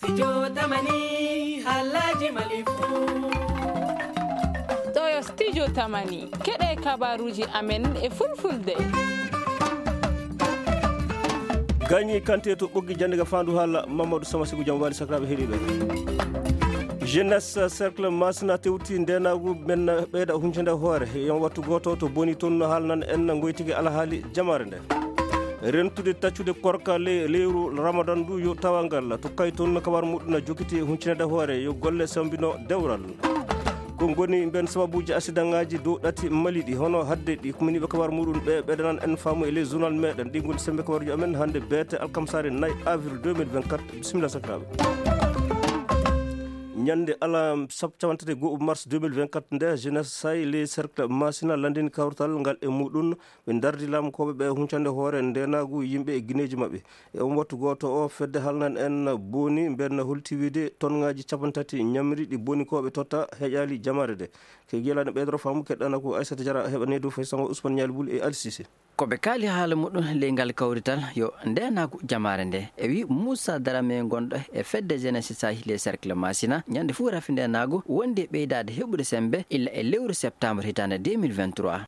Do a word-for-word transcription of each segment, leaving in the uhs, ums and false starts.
Studio Tamani, haalaaji Mali fuu. Ɗo yo Studio Tamani, keɗe kabaruuji amen e fulfulde. Gañi Kante to Ɓoggi Jannde ga Faandu Haala, Mamadou Sama Sigu, jam waali sakiraaɓe heɗiiɓe. Jeunesse Cercle Masina tewti ndeenaagu men ɓeyda huncande hoore. Yon wattu gooto to boni toon no haalnan en ngoytigi alhaali jamaare nde. Rentude taccude korka le-, lewru Ramadan ndu yo tawa ngal. To kay toon no kabar muɗum na jokiti huncinede hoore yo golle sambino dewral. Ko ngoni mben sababuji accidentŋaaji dow ɗati Mali ɗi, hono hadde ɗi kuminiiɓe kabar muɗum ɓe ɓedanan en faamu e les journal meɗen. Ɗi ngoni sembe kabaruji amen hannde beete alkamsare nayi avril deux mille vingt-quatre. Bisimilla sakiraaɓe. Ñande ala sab-, capantati e go'o mars deux mille vingt-quatre nde, Jeunesse Say les Cercle Masina landini kawrital ngal e muɗum. Ɓe ndardi laamu koɓe ɓe huncande hoore ndeenaagu yimɓe e gineeji maɓɓe. E on wattu gooto o, fedde halnan en boni mben holti wiide tonŋaaji capantati ñamri ɗi boni koɓe totta heƴaali jamaare de. Ke giyalani ɓeydoro faamu keɗɗana ko Aissata Diarra heɓa needu fay sango Ousmane Ñaali Bul e Ali Cissé. Ko ɓe kaali haala muɗum ley ngal kawrital yo ndeenaagu jamaare nde. E wi Moussa Darame gonɗo e fedde Jeunesse Say les Cercle Masina, ñande fuu rafi ndeenaagu wondi e ɓeydaade heɓude sembe illa e lewru septembre hitaande deux mille vingt-trois.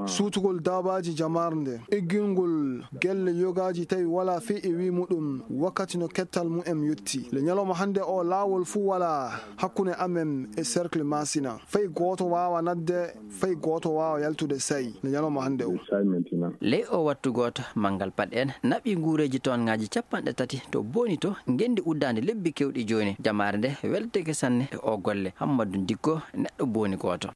Suutugol daabaaji jamaare nde, iggingol gelle yogaaji tawi walaa fey e wi muɗum wakkati no kettal mu'em yotti. Le ñalawma hannde o laawol fuu walaa hakkunde amen e Cercle Masina. Fey gooto waawa nadde, fey gooto waawa yaltude Say le ñalawma hannde o. Ley o wattu gooto, manngal paɗ en naɓi nguureeji tonŋaaji capanɗe tati to boni to ngenndi uddaande lebbi kewɗi jooni. Jamaare nde welteke sanne e o golle. Hammadou Dikko, neɗɗo boni gooto.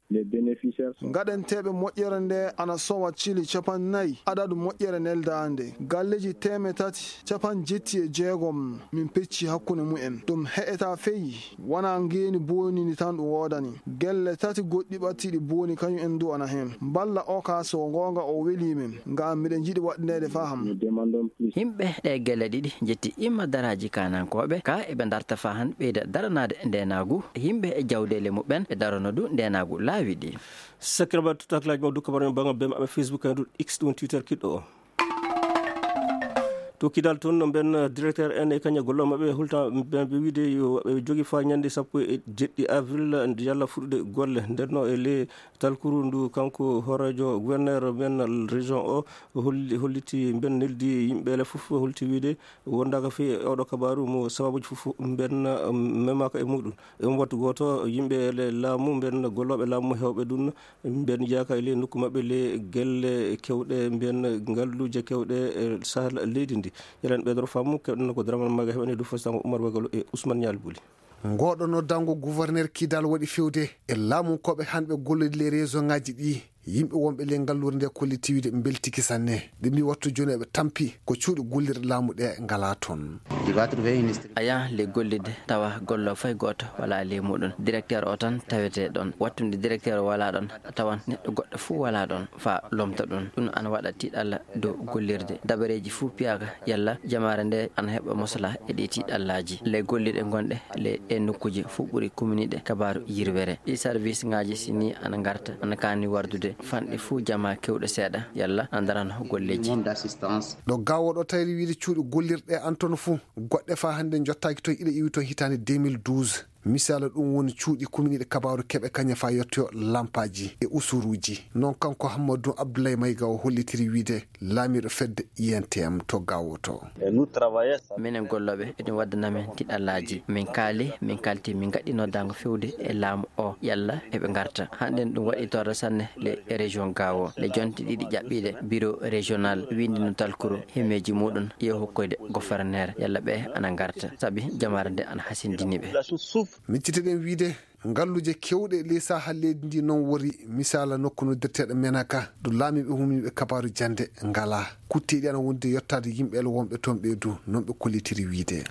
Ngaɗenteeɓe moƴƴere nde ana sowa cili capanɗe nayi adadu moƴƴere neldaande. Galleeji teemeɗɗe tati capanɗe jetti e jeegom min pecci hakkunde mu'en. Ɗum heƴataa fey, wanaa ngeeni boonindi tan ɗum woodani. Gelle tati goɗɗi ɓattiiɗi booni kañum en du ana heen. Mballa o ka so goonga o welii min, ngam miɗen njiɗi waɗneede faham. Yimɓe ɗe gelle ɗiɗi njetti imma daraaji kaanankooɓe, ka eɓe ndarta fahan ɓeyda daranaade ndeenaagu. Yimɓe e jawdeele muɓɓen ɓe darono du ndeenaagu laawi ɗi. Sakiraaɓe, to taklaaji maɓɓe du kabaru men banngal bee maɓɓe Facebook en du X ɗum Twitter kiɗɗo o. To Kidal toon no mben directeur en e kañum e gollooɓe maɓɓe hulta ɓe wiide yo ɓe jogi faa ñande sappo e jeɗɗi avril nde yalla fuɗɗude golle. Nden no e le talkuru ndu kanko hooreejo gouverneur men région o holli, holliti mben neldi yimɓe le fof holti wiide wondaaka fii e oɗo kabaru mo sababuji fof mben memaaka e muɗum. E on wattu gooto, yimɓe le-, laamu mben, gollooɓe laamu heewɓe ɗum, mben yaaka e le nokku maɓɓe le gelle kewɗe mben, ngalluuje kewɗe e sahal leydi ndi. Yelen ɓeydoro faamu, keɗen ko Dramane Maga heɓani du fo sango Oumar Wagalo e Ousmane Nial Bouli. Ngoɗo noddango gouverneur Kidal waɗi fewde e laamu koɓe hanɓe gollodi le région ngaji ɗi. Yimɓe wonɓe le ngalluure nde kolliti wiide mbeltiki sanne. Ɓe mbi wattu jooni eɓe tampi ko cuuɗi gollirɗe laamu ɗe ngala toon. Aya le gollirde tawa gollo fay gooto wala le muɗum. Directeur o tan tawete ɗon. Wattunde directeur o wala ɗon, a tawan neɗɗo goɗɗo fuu wala ɗon fa lomta ɗum. Ɗum ana waɗa tiiɗalla dow gollirde. Dabareeji fuu piyaaka yalla jamaare nde ana heɓa mosla e ɗi tiiɗallaaji. Le gollirɗe gonɗe le e nokkuuje fuu ɓuri kuminiɗe kabaaru yirwere. Ɗi service ngaji sini ana ngarta, ana kaani wardude fanɗe fuu jama kewɗo seeɗa yalla ana darano golleeji. Ɗo gawo ɗo tawri wiide cuuɗi gollirɗe an toon fuu, goɗɗe fa hannde jottaaki toon, iɗa iwi toon hitaande deux mille douze. Misala ɗum woni cuuɗi kuminiɗe kabaaru keɓe kañe fa yettoyo lampaaji e usuruuji. Noon kanko Hammadou Abdoulaye Mayga o hollitiri wiide laamiiɗo fedde I N T M to gawo to. Minen gollooɓe eɗum waddana min tiɗallaaji. Min kaali, min kalti, min gaɗɗi noddaango fewde e laamu o yalla eɓe ngarta. Hannden ɗum waɗi torra sanne le région gawo. Le jonte ɗiɗi ƴaɓɓiiɗe bureau régional winndi no talkuru himmeeji muɗum yo hokkoyde gouverneur yalla ɓe ana ngarta. Sabi jamaare nde ana hasindini ɓe. Micciteɗen wiide ngalluuje kewɗe ley sahal leydi ndi noon wori misala nokku noddirteeɗo Menaka ɗo laamiiɓe humniiɓe kabaaru jannde ngala. Kutteeɗi ana wondi yettaade yimɓe ele wonɓe toon ɓe du, noon ɓe kollitiri wiide.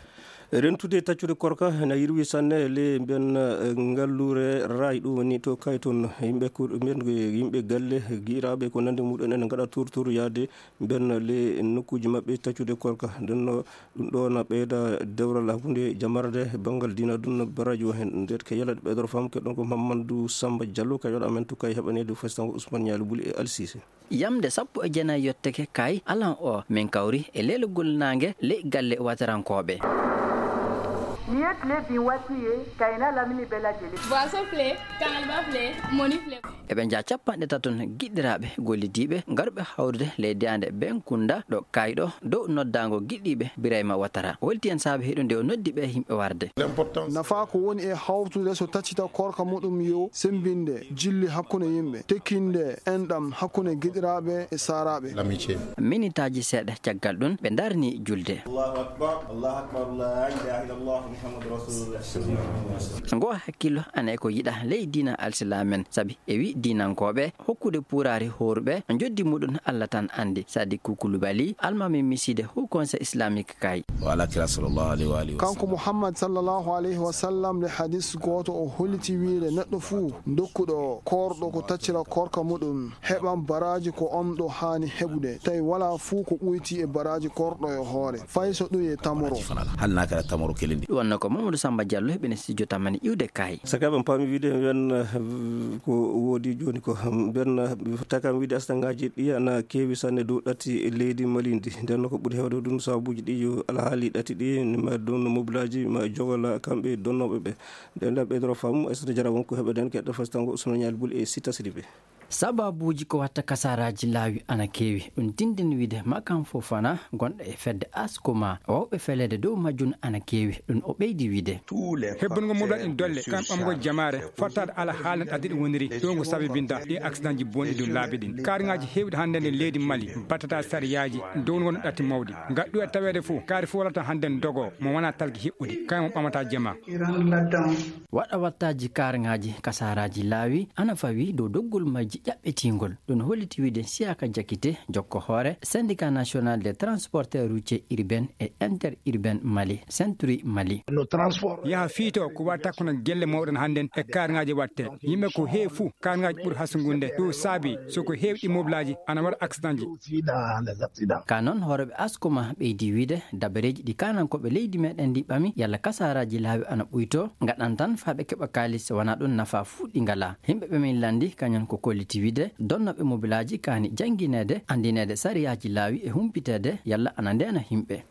Rentude taccude korka ena yirwi sanne le mben, eh, ngalluure raay ɗum woni to kay toon yimɓe kur-, mben, yimɓe galle giiraaɓe ko nande muɗum ene ngaɗa turtur yaade mben le nokkuuji maɓɓe taccude korka. Nden no ɗum ɗo na ɓeyda dewral hakkunde jamarde banngal diina ɗum no baraji o heen. Nder ke yalade ɓeydoro fam ke ɗon ko Mamadou Samba Diallo, kay waɗa amen to kay heɓaneede fo sango Ousmane Nialy Bouli e Al Cissé. Yamde sappo e jeenayi yotteke kay alan o min kawri e leelagol naange ley galle watarankooɓe. Niye tile bin waati ye, Kayna lamini bɛɛ lajɛlen. Boisson filɛ, Kaŋalba filɛ, mɔni filɛ. Eɓe njaa capanɗe tato giɗɗiraaɓe gollidiiɓe garɓe hawrude ley daande Benkunda ɗo Kayɗo dow noddaango giɗɗiiɓe Birayma Watara. Holti en saabe heɗunde o noddi ɓe yimɓe warde. Nafa ko woni e hawtude so taccita korka muɗum yo sembinde jilli hakkunde yimɓe, tekkinde enɗam hakkunde giɗiraaɓe e saaraaɓe. Minitaaji seeɗa caggal ɗum, ɓe ndarni julde. Allahu akbar, Allahu akbar, la ilaha illallah, Muhammadu Rasulullah. Ngo hakkillo ana e ko yiɗa ley diina alsilaamen, sabi e wi diinankooɓe hokkude puuraari horuɓe, njoddi muɗum Allah tan anndi. Sadiku Kulubali, almaami miside Haut Conseil Islamique kay. Wala kira sallallahu alaihi wa alihi wa Kanko sallam. Muhammad sallallahu alaihi wa sallam, le hadis gooto o holliti wiide neɗɗo fuu dokkuɗo koorɗo ko taccira koorka muɗum, heɓan baraaji ko on ɗo haani heɓude, tawi wala fuu ko ɓoyti e baraaji koorɗo e hoore, fay so ɗum e tamoro. Hal na kala tamoro kelindi. Ɗum wonno ko Mamadou Samba Diallo heɓene studio tamani iwde kay. Saka ɓen paami wiide ɓen, eh, ko woodi jooni ko, ɓen, eh, takam wiide astangaji ɗi ana keewi sanne dow ɗati leydi Mali ndi. Nden ko ɓuri heewde ɗum sababuji ɗi yo alhaali ɗati ɗi, ma ɗum no mobilaji, ma jogola kamɓe donnooɓe ɓe. Nden ɗa ɓeydoro faamu, Aissata Diarra won ko heɓe nden keɗɗo fastango Ousmane Nial Boul e Sita Sidibé. Sababuuji ko watta kasaaraaji laawi ana keewi. Ɗum tindini wiide Makan Fofana, gonɗo e fedde Askoma, wawɓe feleede dow majjum ana keewi. Ɗum o ɓeydi wiide. Hebbungo mum waɗi dolle, kam ɓamgol jamaare, fottaade ala haalna ɗadde ɗum woniri, ɗo ngo sabibinta ɗi accidentji bonɗi ɗum laabi ɗin. Kaariŋaaji heewɗi hannde nder leydi Mali, battata sariyaaji, dow ngo no ɗatti mawdi. Ngaɗɗu e taweede fof, kaari fof wallata hannde dogo, mo wona talki hiɓɓude, kañum ɓamata jama. Waɗa wattaaji kaariŋaaji, kasaaraaji laawi, ana fawi dow doggol majji ƴaɓɓetingol. Ɗum holliti wiide Siaka Jakite, jokko hoore Syndicat National des Transporteurs Routiers Urbains et Interurbains Mali, Senturi Mali. Yaha fiito ko waɗi takkunde gelle mawɗe hannden e kaariŋaaji waɗte. Yimɓe ko heewi fuu kaariŋaaji ɓuri hasugurde. Ɗum saabi so ko heewi ɗi mobilaaji ana waɗa accidentji. Ka noon hooreeɓe Askoma ɓeydi wiide dabareeji ɗi kaanankooɓe leydi meɗen ndi ɓami yalla kasaaraaji laawi ana ɓuyto, ngaɗan tan faa ɓe keɓa kaalis, wonaa ɗum nafa fuu ɗi ngalaa. Yimɓe ɓe min lanndi kañum ko kolliti wiide donnooɓe mobilaaji kaani janngineede, anndineede sariyaaji laawi e humpiteede yalla ana ndeena yimɓe.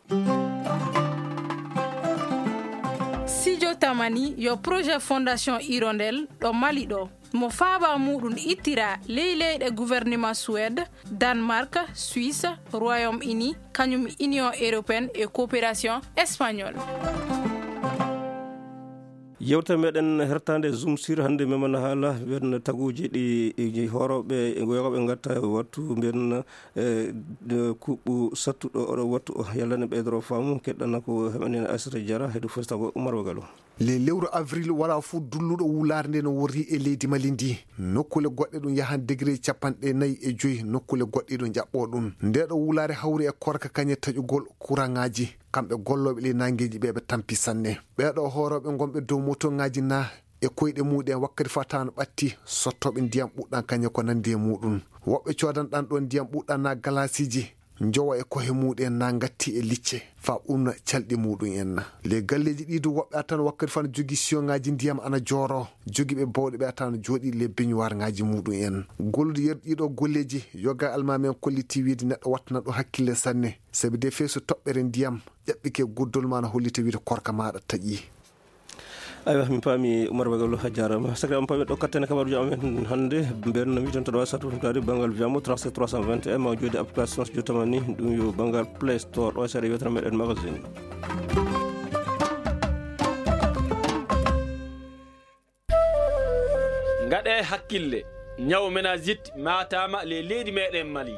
Studio Tamani yo projet Fondation Hirondelle ɗo Mali ɗo. Mo faaba muuɗum ittira ley leyɗe gouvernement Suède, Danemark, Suisse, Royaume-Uni, kañum Union européenne e coopération espagnole. Yewtere meɗen hertande Zoom sur hannde memana haala ɓen taguuji ɗi, ɗi hoorooɓe e goyooɓe ngatta wattu mbiyen, eh, de kuɓɓu sattuɗo oɗo wattu o. Yalla ne ɓeydoro faamu keɗɗana ko heɓanino Aissata Diarra heɗu festago Oumar Wagalo. Le lewru avril wala fof dulluɗo wulaare nde no worri e leydi Mali ndi. Nokkule goɗɗe ɗum yahan degré capanɗe nayi e joyi, nokkule goɗɗe ɗum ƴaɓɓo ɗum. Nde ɗo wulaare hawri e korka kañe taƴugol kuraŋaaji. Kamɓe gollooɓe ley nangeeji ɓe ɓe tampi sanne. Ɓeeɗo hoorooɓe ngonɓe dow motoŋaaji na e koyɗe muɗen wakkati faa tawan ɓatti sottooɓe ndiyam ɓuɗɗan kañe ko nandi e muɗum. Woɓɓe coodan ɗan ɗon ndiyam ɓuɗɗan na galaasiiji. Njowa e kohe muɗum en na ngatti e licce, faa ɓurna calɗi muɗum en na. Le galleeji ɗi du woɓɓe a tan wakkati faa no jogii siyoŋaaji ndiyam ana jooro, jogii ɓe bawɗe ɓe a tan no jooɗii le beñuwaarŋaaji muɗum en. Gollude yeru ɗiɗo golleeji, yoga almaami en kolliti wiide neɗɗo wattana ɗum hakkille sanne, sabi de fee so toɓɓere ndiyam ƴaɓɓike guddol ma na hollita wiide korka maaɗa taƴii. Aywa, min paami Oumar Bagalo, a jaaraama. Sakiraaɓe, on paami ɗo kattane kabaruuji amen hannde. Mbeɗa no wiiton to ɗo satu fumtaade banngal Viyamo trente-sept trois cent vingt et un, ma jooɗi application Studio Tamani, ɗum yo banngal Play Store, ɗo seeɗa yewtere meɗen magazine. Ngaɗee hakkille, ñaw meningite maataama le leydi meɗen Mali.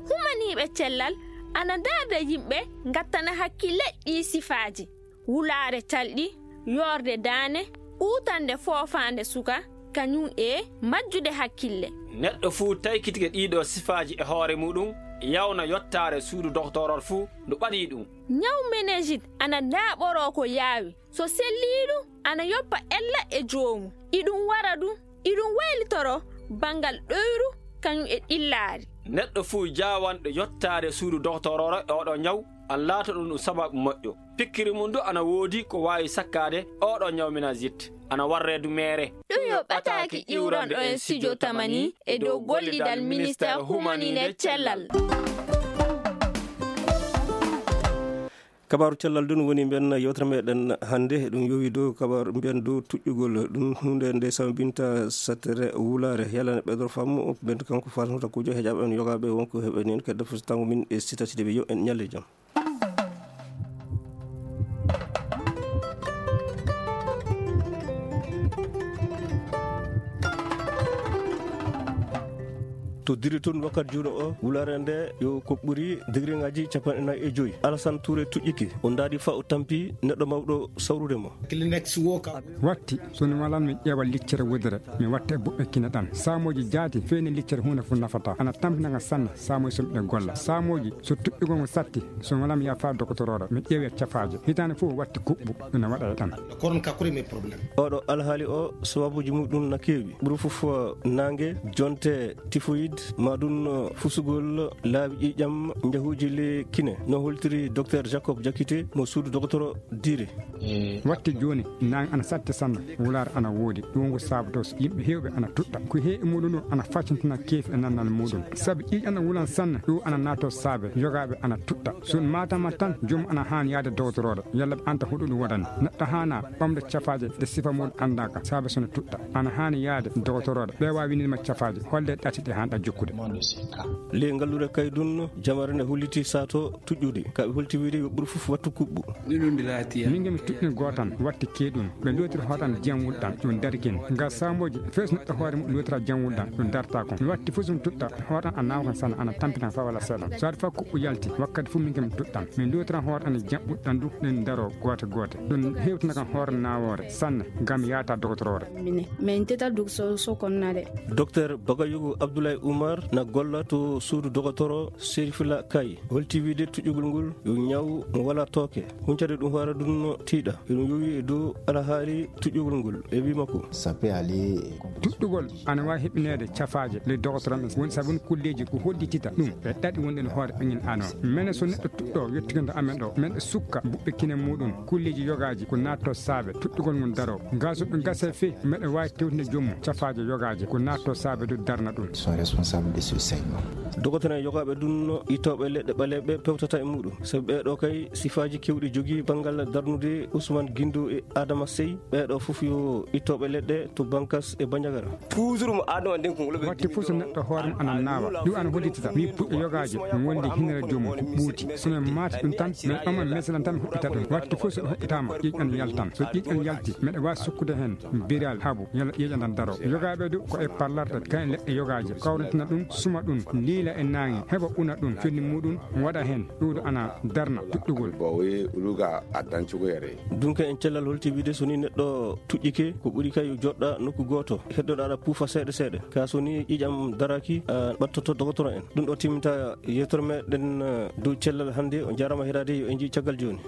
Humaniiɓe cellal ana ndaarda yimɓe ngattana hakkille ɗii sifaaji. Wulaare talɗi, yoorde daane, uutande foofaande suka, kañum e majjude hakkille. Neɗɗo fuu taykitike ɗiiɗoo sifaaji e hoore muɗum, yawna yottaare suudu doktoorol fuu ndu ɓaɗii ɗum. Ñaw meningite ana ndaaɓoroo ko yaawi. So sellii ɗum, ana yoppa ella e joomu. Iɗum wara ɗum, iɗum waylitoro banngal ɗoyru kañum e ɗillaari. Neɗɗo fuu jaawanɗo yottaade suudu doktoororo e oɗo ñaw, ana laato ɗum ɗum sababu moƴƴo. Pikkiri mum du ana woodi ko waawi sakkaade oɗo ñaw meningite, ana warre du meere. Ɗum yo ɓataaki iwranɗo en Studio Tamani e dow gollidal Ministeer Humaniiɓe Cellal. Kabaaru cellal ɗum woni mbiyen yewtere meɗen hannde, ɗum yowi dow kabaaru mbiyen dow tuƴƴugol. Ɗum huunde nde sambinta sattere wulaare. Yalla ne ɓeydoro faamu, mbiyen kanko faalnotakuujo heƴaaɓe en yogaaɓe wonko heɓe nin kedde fustaango min e sitati de ɓe yo en ñalle jam. To diri tun wakkati juuno o, wulaare nde yo ko ɓuri digriŋaaji capanɗe nayi e joyi. Alasan Tuure tuƴƴiki, o ndaari fa o tampi neɗɗo mawɗo sawrude mo. Kleenex wo ka. Watti, so mi walan mi ƴeewa liccere wudere, mi watta e buɓɓe kine ɗan. Saamooji jaati, feeni liccere huunde fu nafata. Ana tampina nga sanne, saamooji so miɗe golla. Saamooji, so tuƴƴugol ngo satti, so mi walan mi yaha fa dokotoroore, mi ƴeewa cafaaje. Hitaande fof watti kuɓɓu, ina waɗa e ɗan. Koron ka kuri mi problème. Oɗo alhaali o, sababuuji muɗum na keewi. Ɓuri fof naange, jonte, typhoïde, ma ɗum fusugol laawi ƴiiƴam, njahuuji le kine. No holtiri Docteur Jacob Jakite mo suudu dogotoro Diri. Watti jooni, naange ana satti sanne, wulaare ana woodi. Ɗum ko sababu to yimɓe heewɓe ana tuɗɗa. Ko heewi muɗum ɗum ana faccintina keefi e nannal muɗum. Sabu ƴiiƴam ana wulan sanne, ɗum ana naato saabe, yogaaɓe ana tuɗɗa. So ɗum maatama tan, joom ana haani yaade dogotoroore, yalla ɓe anta hoɗo ɗum waɗani. Neɗɗo haana ɓamde cafaaje ɗe sifa muɗum anndaaka, saabe so no tuɗɗa. Ana haani yaade dogotoroore, ɓe waawi winndinde ma cafaaje, holle ɗati ɗe haanɗa jokkude. Ley ngalluure Kaydun, jamare nde holliti saato tuƴƴude. Ka ɓe holti wiide yo ɓuri fof wattu kuɓɓu. Min nge mi tuɗɗin gootan, watti keeɗun. Ɓe lootiri hootan jam wulɗan, ɗum darkin. Nga saamooji, fees neɗɗo hoore mum lootiraa jam wulɗan, ɗum dartaa kon. Mi watti fof so mi tuɗɗa, hootan a naawa kan sanne, ana tampina fa wala seeɗan. So aɗa fa kuɓɓu yalti, wakkati fof min nge mi tuɗɗan. Min lootiraa hootan jam wulɗan du, ɗen daroo goote goote. Ɗum hewtina kan hoore naawoore, sanne, ngam yaata dogotoroore. Mine, min teta duk so, so konnade. Docteur Bagayugu Abdoulaye Oumar na golla to suudu dogotoro Serifula Kay. Holti wiide tuƴƴugol ngol yo ñaw mo wala tooke. Huncade ɗum hoore ɗum no tiiɗa. Eɗum yowi e dow alhaali tuƴƴugol ngol. E wii makko. Ça peut aller. Tuɗɗugol ana waawi heɓineede cafaaje le dogotoro men. Woni sabu kulleeji ko hollitita ɗum. E ɗaɗi wonɗen hoore ɓe ngel ano. Mene so neɗɗo tuɗɗo yettikinto amen ɗo. Men e sukka buɓɓe kine muɗum. Kulleeji yogaaji ko naatto saabe. Tuɗɗugol ngol daro. Nga so ɗum gase fe, meɗe waawi tewtinde joom mum. Cafaaje yogaaje ko naatto saabe du darna ɗum. Sont responsables de ce saignement. Dogotoro en yogaaɓe ɗum no ittooɓe leɗɗe ɓaleeɓe pewtata e muɗum. Sabu ɓee ɗoo kay sifaaji kewɗi jogii banngal darnude Ousmane Guindo e Adama Sey. Ɓee ɗoo fof yo ittooɓe leɗɗe to Bankas e Bandiagara. Toujours mo adama nden ko ngol ɓe. Watti fof so neɗɗo hoore mum ana naawa. Ɗum ana hollitita. Mi puɗɗo yogaaji, mi wondi hinere joom mum, ko ɓuuti. So men maati ɗum tan, men ɓama meselan tan, mi huɓɓita ɗum. Watti fof so ɗum huɓɓitaama, ƴiiƴan yaltan. So ƴiiƴan yalti, meɗe waawi sukkude heen biral habu, yalla ƴiiƴan tan daro. Yogaaɓe du, ko e parlarɗe, kayen leɗɗe yogaaje. Kawritina ɗum, suma ɗum, liila e naange, heɓa una ɗum, fenni muɗum, waɗa heen. Ɗuuɗo ana darna tuɗɗugol. Bowe uluga addan cugoyere. Dunke en cellal holti wiide so ni neɗɗo tuƴƴike, ko ɓuri kay joɗɗa nokku gooto. Heddoɗa aɗa puufa seeɗa seeɗa. Ka so ni ƴiiƴam daraki, a ɓattoto dogotoro en. Ɗum ɗo timminta yewtere meɗen, eh, dow cellal hannde. On jaaraama heɗaade, yo en njii caggal jooni.